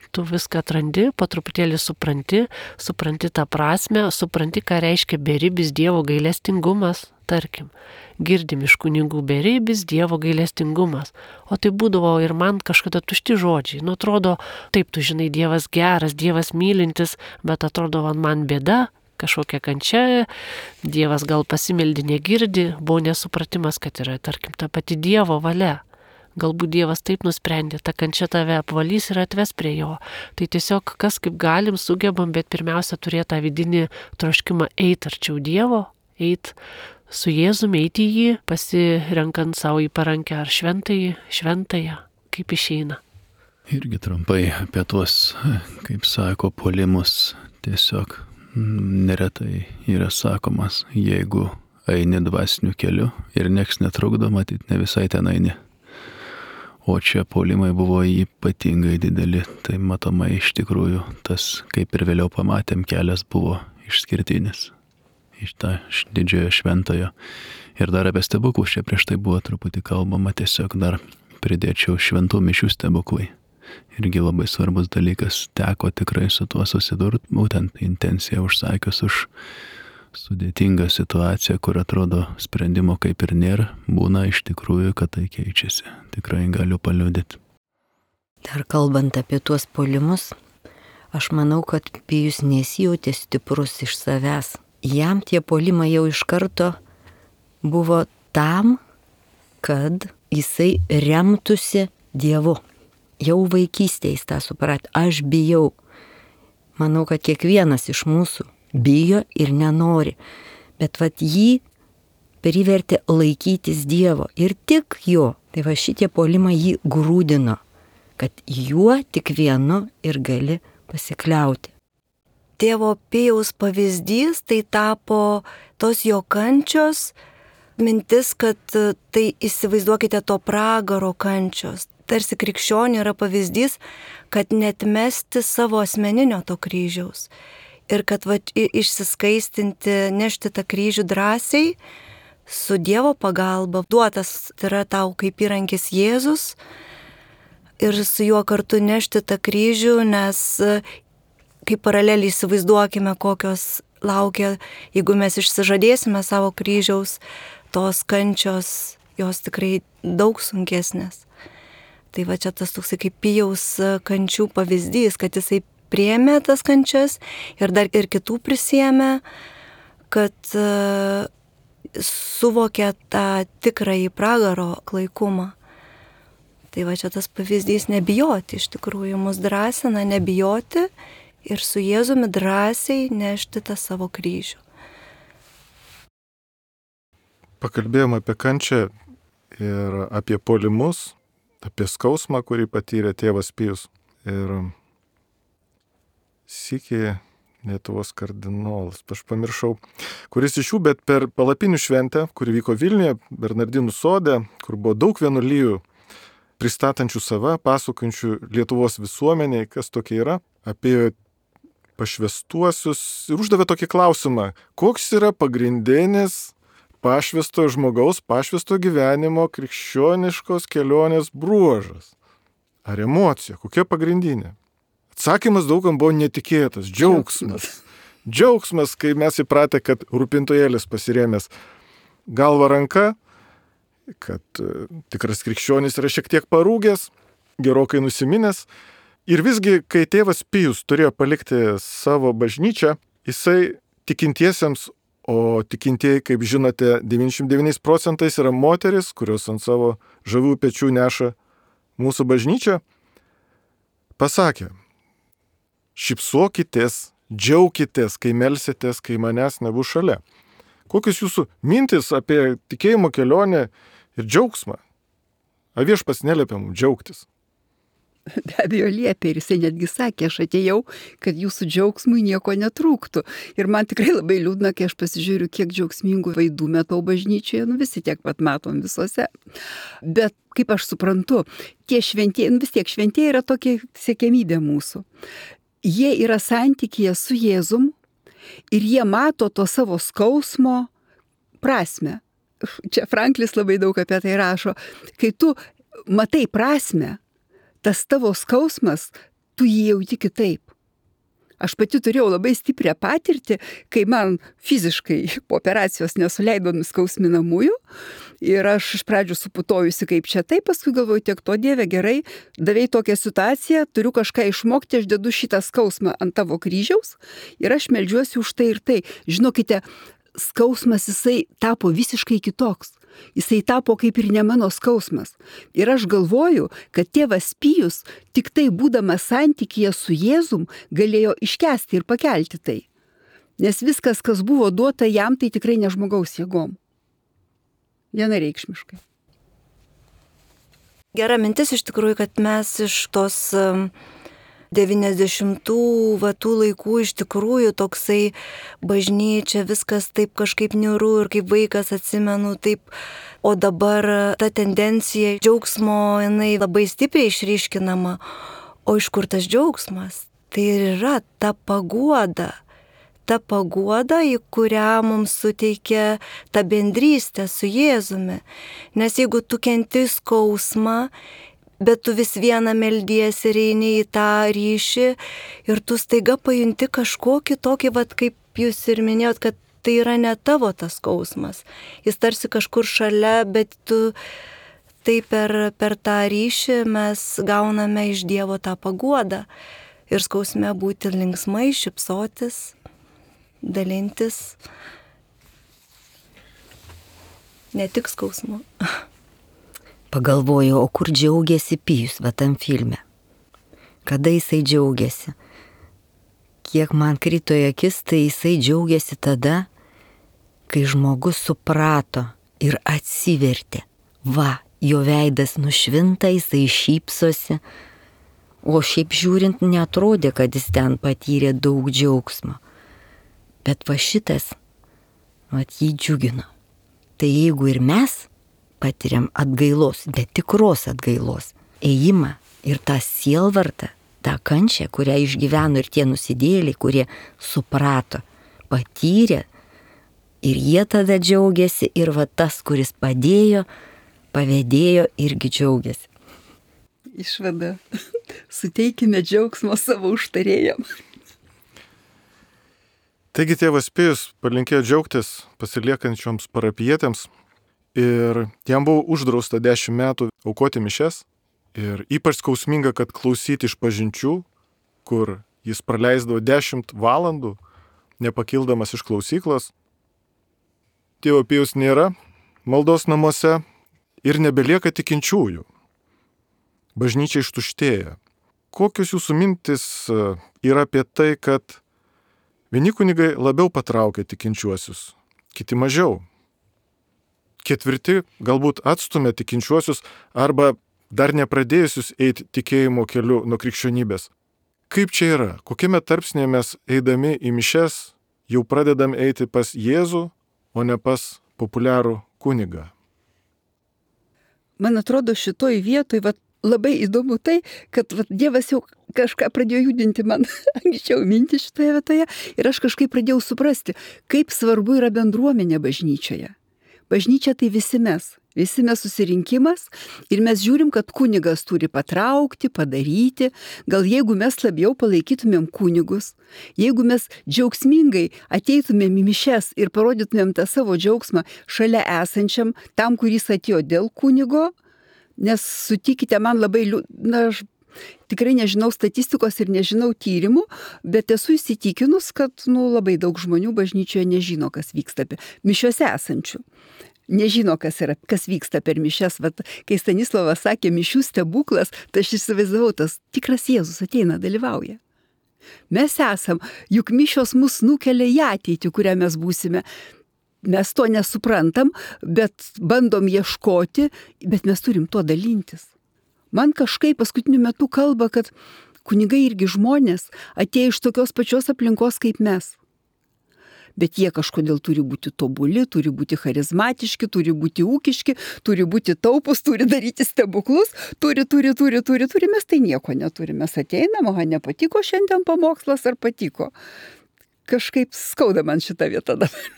Tu viską atrandi, po truputėlį supranti, supranti tą prasme, supranti, ką reiškia beribis Dievo gailestingumas, tarkim. Girdim iš kunigų beribis Dievo gailestingumas. O tai būdavo ir man kažkada tušti žodžiai. Nu, atrodo, taip, tu žinai, Dievas geras, Dievas mylintis, bet atrodo, man bėda, kažkokia kančia, Dievas gal pasimeldė negirdi, buvo nesupratimas, kad yra, tarkim, ta pati Dievo valia. Galbūt Dievas taip nusprendė, ta kančia tave apvalys ir atves prie jo. Tai tiesiog kas kaip galim, sugebam, bet pirmiausia turėti tą vidinį troškimą eiti arčiau Dievo, eiti su Jėzumi, eiti į jį, pasirenkant savo į parankę ar šventąjį, šventąją, kaip išeina. Irgi trumpai apie tuos, kaip sako, puolimus, tiesiog neretai yra sakomas, jeigu eini dvasiniu keliu ir nieks netrukdo, matyt, ne visai ten eini. O čia puolimai buvo ypatingai dideli, tai matomai iš tikrųjų tas, kaip ir vėliau pamatėm, kelias buvo išskirtinis iš tą didžiojo šventojo. Ir dar apie stebuklus čia prieš tai buvo truputį kalbama, tiesiog dar pridėčiau šventų mišių stebuklai. Irgi labai svarbus dalykas, teko tikrai su tuo susidurti, būtent intenciją užsakius už sudėtingą situaciją, kur atrodo sprendimo kaip ir nėra, būna iš tikrųjų, kad tai keičiasi. Tikrai galiu paliudyti. Dar kalbant apie tuos puolimus, aš manau, kad Pijus nesijautė stiprus iš savęs. Jam tie puolimai jau iš karto buvo tam, kad jisai remtųsi Dievu. Jau vaikystėje jis tą supratė. Aš bijau. Manau, kad kiekvienas iš mūsų bijo ir nenori, bet vat jį privertė laikytis Dievo ir tik jo. Tai va šitie puolimai jį grūdino, kad juo tik vienu ir gali pasikliauti. Tėvo Pijaus pavyzdys tai tapo tos jo kančios, mintis, kad tai įsivaizduokite to pragaro kančios. Tarsi krikščionių yra pavyzdys, kad netmesti savo asmeninio to kryžiaus. Ir kad va, išsiskaistinti, nešti tą kryžių drąsiai, su Dievo pagalba, duotas tai yra tau kaip įrankis Jėzus, ir su juo kartu nešti tą kryžių, nes kaip paraleliai įsivaizduokime, kokios laukia, jeigu mes išsižadėsime savo kryžiaus, tos kančios, jos tikrai daug sunkesnės. Tai va čia tas toksai kaip Pijaus kančių pavyzdys, kad jisai priėmė tas kančias ir dar ir kitų prisėmė, kad uh, suvokė tą tikrąjį pragaro klaikumą. Tai va čia tas pavyzdys nebijoti, iš tikrųjų mus drąsina nebijoti ir su Jėzumi drąsiai nešti tą savo kryžių. Pakalbėjom apie kančią ir apie puolimus, apie skausmą, kurį patyrė tėvas Pijus. Ir sykį Lietuvos kardinolas, aš pamiršau, kuris iš jų, bet per palapinių šventę, kuri vyko Vilniuje, Bernardinų sode, kur buvo daug vienuolijų pristatančių save, pasakojančių Lietuvos visuomeniai, kas tokie yra, apie pašvestuosius ir uždavė tokį klausimą, koks yra pagrindinis pašvestojo žmogaus, pašvestojo gyvenimo krikščioniškos kelionės bruožas. Ar emocija, kokia pagrindinė? Atsakymas daugam buvo netikėtas, džiaugsmas. Džiaugsmas, kai mes įpratę, kad rūpintojėlis pasirėmęs galva ranka, kad e, tikras krikščionis yra šiek tiek parūgęs, gerokai nusiminęs. Ir visgi, kai tėvas Pijus turėjo palikti savo bažnyčią, jisai tikintiesiems, o tikintieji, kaip žinote, devyniasdešimt devyniais procentais yra moteris, kurios ant savo žavių pečių neša mūsų bažnyčią, pasakė, šypsokitės, džiaukitės, kai melsitės, kai manęs nebus šalia. Kokios jūsų mintis apie tikėjimo kelionę ir džiaugsmą? A viešpats neliepia mums džiaugtis. Be abejo liepė ir jisai netgi sakė, aš atėjau, kad jūsų džiaugsmui nieko netrūktų. Ir man tikrai labai liūdna, kai aš pasižiūriu, kiek džiaugsmingų vaidų metau bažnyčioje, nu visi tiek pat matom visose. Bet kaip aš suprantu, tie šventieji, nu vis tiek šventieji yra tokia siekiamybė mūsų. Jie yra santykyje su Jėzum ir jie mato to savo skausmo prasmę. Čia Franklis labai daug apie tai rašo. Kai tu matai prasmę, tas tavo skausmas, tu jį jauti kitaip. Aš pati turėjau labai stiprią patirtį, kai man fiziškai po operacijos nesuleido nuskausminamųjų ir aš iš pradžių suputojusi kaip čia taip, paskui galvoju, tiek to Dieve gerai, davei tokią situaciją, turiu kažką išmokti, aš dedu šitą skausmą ant tavo kryžiaus ir aš meldžiuosi už tai ir tai. Žinokite, skausmas jisai tapo visiškai kitoks. Jisai tapo kaip ir ne mano skausmas. Ir aš galvoju, kad tėvas Pijus tik tai būdamas santykyje su Jėzum galėjo iškesti ir pakelti tai. Nes viskas, kas buvo duota jam, tai tikrai ne žmogaus jėgom. Vienareikšmiškai. Gera mintis iš tikrųjų, kad mes iš tos devyniasdešimtų va tų laikų iš tikrųjų toksai bažnyčia, viskas taip kažkaip niūru ir kaip vaikas atsimenu taip, o dabar ta tendencija džiaugsmo jinai labai stipriai išryškinama, o iš kur tas džiaugsmas? Tai ir yra ta paguoda, ta paguoda, į kurią mums suteikia ta bendrystė su Jėzumi, nes jeigu tu kenti skausmą, bet tu vis vieną meldiesi ir eini į tą ryšį ir tu staiga pajunti kažkokį tokį, vat, kaip jūs ir minėjot, kad tai yra ne tavo tas skausmas. Jis tarsi kažkur šalia, bet tu tai per, per tą ryšį mes gauname iš Dievo tą paguodą ir skausme būti linksmai, šypsotis, dalintis. Ne tik skausmu. Pagalvoju, o kur džiaugiasi Pijus va tam filme? Kada jisai džiaugiasi? Kiek man krito į akis, tai jisai džiaugiasi tada, kai žmogus suprato ir atsivertė. Va, jo veidas nušvinta, jisai šypsosi, o šiaip žiūrint neatrodė, kad jis ten patyrė daug džiaugsmo. Bet va šitas, va jį džiugino. Tai jeigu ir mes patiriam atgailos, bet tikros atgailos, ėjimą ir tą sielvartą, tą kančią, kurią išgyveno ir tie nusidėliai, kurie suprato, patyrė, ir jie tada džiaugiasi, ir va tas, kuris padėjo, pavedėjo, irgi džiaugiasi. Išvada. Suteikime džiaugsmo savo užtarėjam. Taigi tėvas Pijus palinkėjo džiaugtis pasiliekančioms parapijietėms. Ir jam buvo uždrausta dešimt metų aukoti mišias ir ypač skausminga, kad klausyti iš pažinčių, kur jis praleisdavo dešimt valandų, nepakildamas iš klausyklos. Tėvo Pijaus nėra maldos namuose ir nebelieka tikinčiųjų. Bažnyčia ištuštėja. Kokios jūsų mintis yra apie tai, kad vieni kunigai labiau patraukia tikinčiuosius, kiti mažiau? Ketvirti galbūt atstumia tikinčiuosius arba dar nepradėjusius eiti tikėjimo keliu nuo krikščionybės. kaip čia yra, kokiame tarpsnėje mes eidami į mišes jau pradedam eiti pas Jėzų, o ne pas populiarų kunigą. Man atrodo, šitoj vietoj vat, labai įdomu tai, kad vat, Dievas jau kažką pradėjo judinti man anksčiau mintį šitoje vietoje ir aš kažkaip pradėjau suprasti, kaip svarbu yra bendruomenė bažnyčioje. Bažnyčia tai visi mes, visi mes susirinkimas ir mes žiūrim, kad kunigas turi patraukti, padaryti. Gal jeigu mes labiau palaikytumėm kunigus, jeigu mes džiaugsmingai ateitumėm į mišes ir parodytumėm tą savo džiaugsmą šalia esančiam, tam, kuris atėjo dėl kunigo, nes sutikite, man labai, na, aš tikrai nežinau statistikos ir nežinau tyrimų, bet esu įsitikinus, kad nu, labai daug žmonių bažnyčioje nežino, kas vyksta mišiuose esančių. Nežino, kas, yra, kas vyksta per mišes. Vat, kai Stanislavas sakė mišių stebuklas, tai aš įsivaizdavau, tas tikras Jėzus ateina, dalyvauja. Mes esam, juk mišios mus nukelia į ateitį, kurią mes būsime. Mes to nesuprantam, bet bandom ieškoti, bet mes turim tuo dalintis. Man kažkaip paskutiniu metu kalba, kad kunigai irgi žmonės atėjo iš tokios pačios aplinkos kaip mes. Bet jie kažkodėl turi būti tobuli, turi būti charizmatiški, turi būti ūkiški, turi būti taupus, turi daryti stebuklus, turi, turi, turi, turi, turi, mes tai nieko neturime. Mes ateinam, aha, nepatiko šiandien pamokslas ar patiko. Kažkaip skauda man šitą vietą dabar.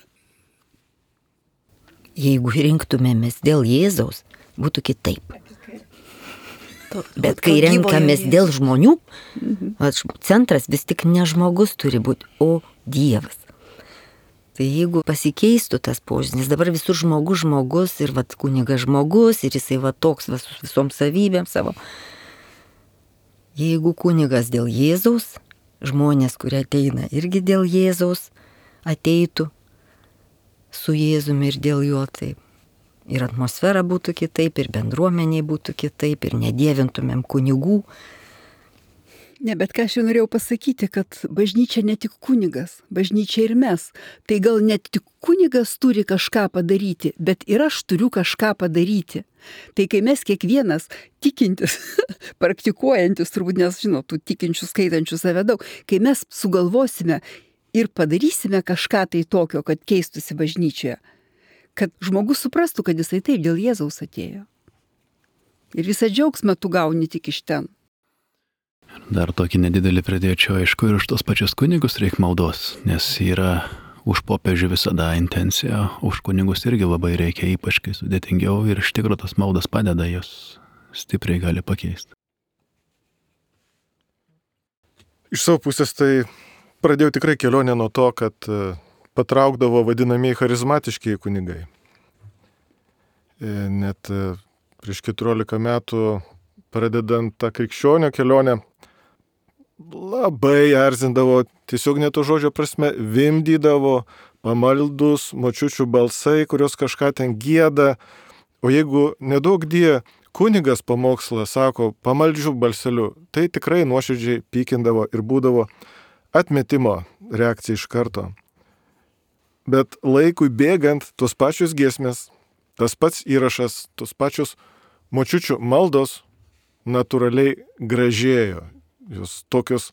Jeigu rinktumėmės dėl Jėzaus, būtų kitaip. Bet kai renkamės dėl žmonių, centras vis tik ne žmogus turi būti, o Dievas. Tai jeigu pasikeistų tas požiūris, nes dabar visur žmogus žmogus ir vat kunigas žmogus ir jisai va toks va, su visom savybėm savo. Jeigu kunigas dėl Jėzaus, žmonės, kurie ateina irgi dėl Jėzaus, ateitų su Jėzumi ir dėl jo, tai ir atmosfera būtų kitaip, ir bendruomeniai būtų kitaip, ir nedievintumėm kunigų. Ne, bet ką aš jau norėjau pasakyti, kad bažnyčia ne tik kunigas, bažnyčia ir mes. Tai gal net tik kunigas turi kažką padaryti, bet ir aš turiu kažką padaryti. Tai kai mes kiekvienas tikintis, praktikuojantis, turbūt nes, žinot, tų tikinčių skaitančių save daug, kai mes sugalvosime ir padarysime kažką tai tokio, kad keistųsi bažnyčioje, kad žmogus suprastų, kad jisai taip dėl Jėzaus atėjo. Ir visą džiaugsmą tu gauni tik iš ten. Dar tokį nedidelį pridėčiau, aišku, ir už tos pačius kunigus reikia maldos, nes yra už popiežių visada intencija, už kunigus irgi labai reikia, ypač kai sudėtingiau ir iš tikrųjų tas maldas padeda, jos stipriai gali pakeisti. Iš savo pusės tai pradėjau tikrai kelionę nuo to, kad patraukdavo vadinamieji charizmatiškiai kunigai. Net prieš keturiolika metų pradedant tą krikščionio kelionę, labai erzindavo, tiesiog ne to žodžio prasme, vimdydavo pamaldus močiučių balsai, kurios kažką ten gieda, o jeigu nedaug die kunigas pamokslą sako pamaldžių balseliu, tai tikrai nuoširdžiai pykindavo ir būdavo atmetimo reakcija iš karto. Bet laikui bėgant, tos pačios giesmės, tas pats įrašas, tos pačios močiučių maldos natūraliai gražėjo. Jos tokios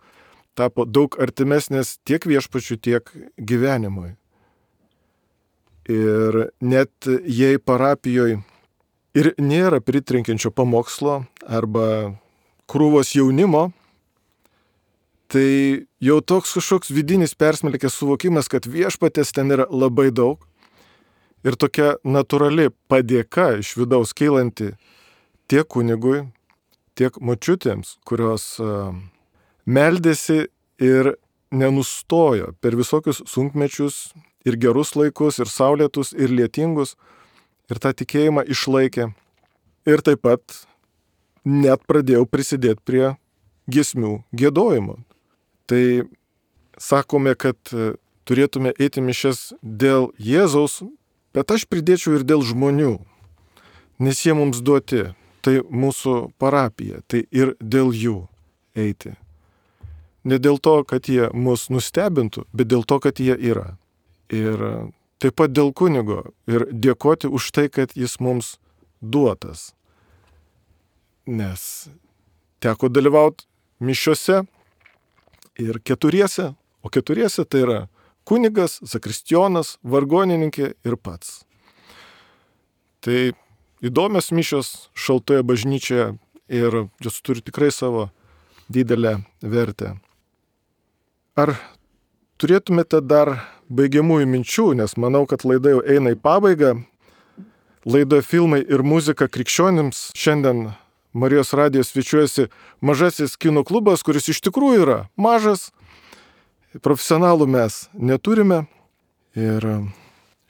tapo daug artimesnės tiek viešpačių, tiek gyvenimui. Ir net jei parapijoje ir nėra pritrenkiančio pamokslo arba krūvos jaunimo, tai jau toks kažkoks vidinis persmelkęs suvokimas, kad viešpatės ten yra labai daug. Ir tokia natūrali padėka iš vidaus kylanti tiek kunigui, tiek močiutėms, kurios uh, meldėsi ir nenustojo per visokius sunkmečius ir gerus laikus, ir saulėtus, ir lietingus, ir tą tikėjimą išlaikė. Ir taip pat net pradėjau prisidėti prie giesmių giedojimo. Tai sakome, kad turėtume eiti mišias dėl Jėzaus, bet aš pridėčiau ir dėl žmonių, nes jie mums duoti. Tai mūsų parapija, tai ir dėl jų eiti. Ne dėl to, kad jie mus nustebintų, bet dėl to, kad jie yra. Ir taip pat dėl kunigo ir dėkoti už tai, kad jis mums duotas. Nes teko dalyvauti mišiose ir keturiese, o keturiese tai yra kunigas, zakristijonas, vargonininkė ir pats. Tai įdomios mišios šaltoje bažnyčioje ir jos turi tikrai savo didelę vertę. Ar turėtumėte dar baigiamųjų minčių, nes manau, kad laida jau eina į pabaigą. Laidoje filmai ir muzika krikščionims šiandien Marijos radijo svečiuojasi mažasis kino klubas, kuris iš tikrųjų yra mažas. Profesionalų mes neturime. Ir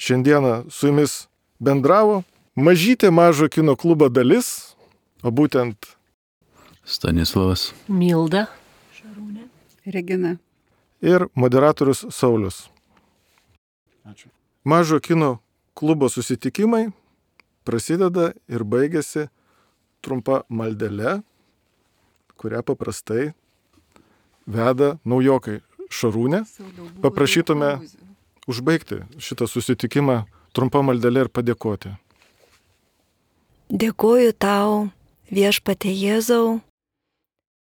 šiandieną su jumis bendravo mažytė mažo kino klubo dalis, o būtent Stanislavas, Milda, Regina. ir moderatorius Saulius. Ačiū. Mažo kino klubo susitikimai prasideda ir baigėsi trumpa maldele, kurią paprastai veda naujokai Šarūnė. Paprašytume užbaigti šitą susitikimą trumpa maldele ir padėkoti. Dėkuoju tau, viešpatie Jėzau,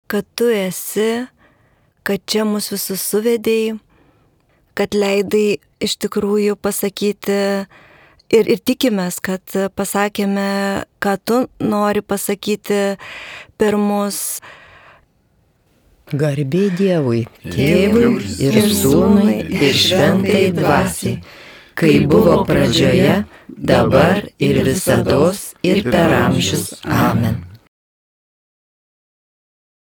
kad tu esi, kad čia mus visus suvedėjai, kad leidai iš tikrųjų pasakyti ir, ir tikimės, kad pasakėme, ką tu nori pasakyti per mus. Garbė Dievui, Tėvui ir Sūnui ir Šventai Dvasiai, kai buvo pradžioje, dabar ir visados ir per amžius. Amen.